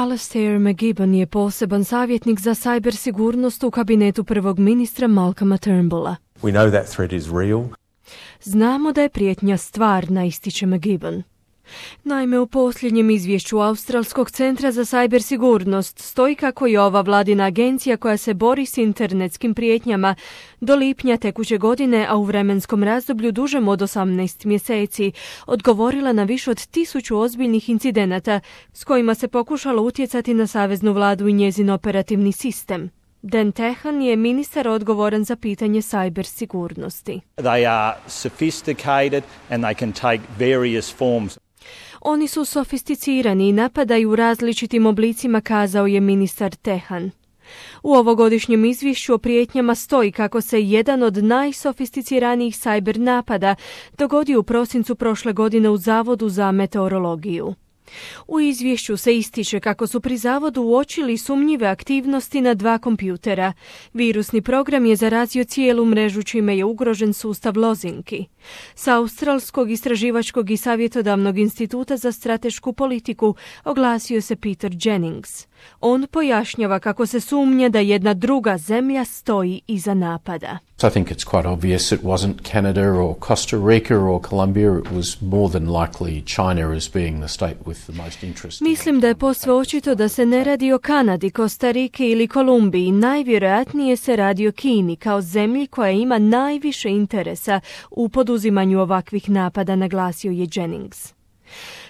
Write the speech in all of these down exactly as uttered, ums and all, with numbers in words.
Alastair McGibbon je poseban savjetnik za sajber sigurnost u kabinetu prvog ministra Malcolma Turnbulla. We know that threat is real. Znamo da je prijetnja stvarna, ističe McGibbon. Naime, u posljednjem izvješću Australskog centra za sajber sigurnost stoji kako je ova vladina agencija koja se bori s internetskim prijetnjama do lipnja tekuće godine, a u vremenskom razdoblju dužem od osamnaest mjeseci, odgovorila na više od tisuću ozbiljnih incidenata s kojima se pokušalo utjecati na saveznu vladu i njezin operativni sistem. Dan Tehan je ministar odgovoran za pitanje sajber sigurnosti. They are sophisticated and they can take various forms. Oni su sofisticirani i napadaju u različitim oblicima, kazao je ministar Tehan. U ovogodišnjem izvješću o prijetnjama stoji kako se jedan od najsofisticiranijih sajber napada dogodio u prosincu prošle godine u Zavodu za meteorologiju. U izvješću se ističe kako su pri zavodu uočili sumnjive aktivnosti na dva kompjutera. Virusni program je zarazio cijelu mrežu, čime je ugrožen sustav lozinki. S Australskog istraživačkog i savjetodavnog instituta za stratešku politiku oglasio se Peter Jennings. On pojašnjava kako se sumnja da jedna druga zemlja stoji iza napada. I think it's quite obvious it wasn't Canada or Costa Rica or Colombia. It was more than likely China as being the state with the most interest. Mislim da je posve očito da se ne radi o Kanadi, Kostariki ili Kolumbiji. Najvjerojatnije se radi o Kini kao zemlji koja ima najviše interesa u poduzimanju ovakvih napada, naglasio je Jennings.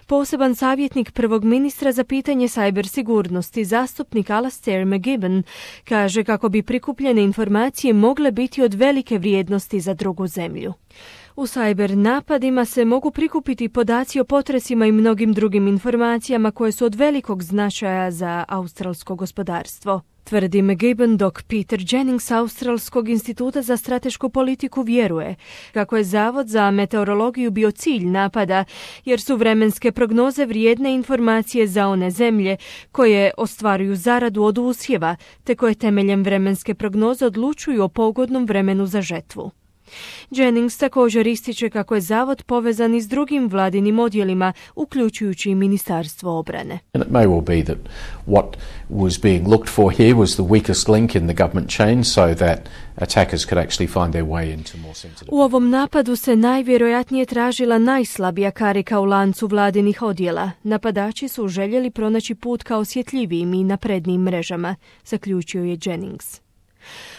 Poseban savjetnik prvog ministra za pitanje sajber sigurnosti, zastupnik Alastair McGibbon, kaže kako bi prikupljene informacije mogle biti od velike vrijednosti za drugu zemlju. U sajber napadima se mogu prikupiti podaci o potresima i mnogim drugim informacijama koje su od velikog značaja za australsko gospodarstvo, tvrdi McGibbon, dok Peter Jennings Australskog instituta za stratešku politiku vjeruje kako je Zavod za meteorologiju bio cilj napada, jer su vremenske prognoze vrijedne informacije za one zemlje koje ostvaruju zaradu od usjeva, te koje temeljem vremenske prognoze odlučuju o pogodnom vremenu za žetvu. Jennings također ističe kako je zavod povezan i s drugim vladinim odjelima, uključujući i Ministarstvo obrane. And it may well be that what was being looked for here was the weakest link in the government chain so that attackers could actually find their way into more sensitive. U ovom napadu se najvjerojatnije tražila najslabija karika u lancu vladinih odjela. Napadači su željeli pronaći put ka osjetljivijim i naprednijim mrežama, zaključio je Jennings.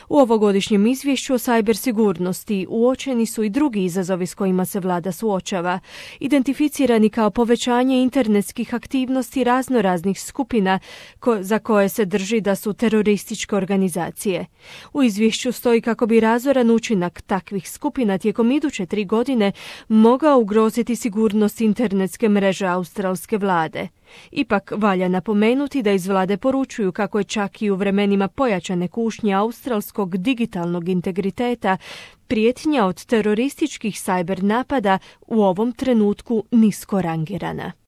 U ovogodišnjem izvješću o sajber sigurnosti uočeni su i drugi izazovi s kojima se vlada suočava, identificirani kao povećanje internetskih aktivnosti raznoraznih skupina ko- za koje se drži da su terorističke organizacije. U izvješću stoji kako bi razoran učinak takvih skupina tijekom iduće tri godine mogao ugroziti sigurnost internetske mreže australske vlade. Ipak valja napomenuti da iz vlade poručuju kako je čak i u vremenima pojačane kušnje australskog digitalnog integriteta prijetnja od terorističkih sajber napada u ovom trenutku nisko rangirana.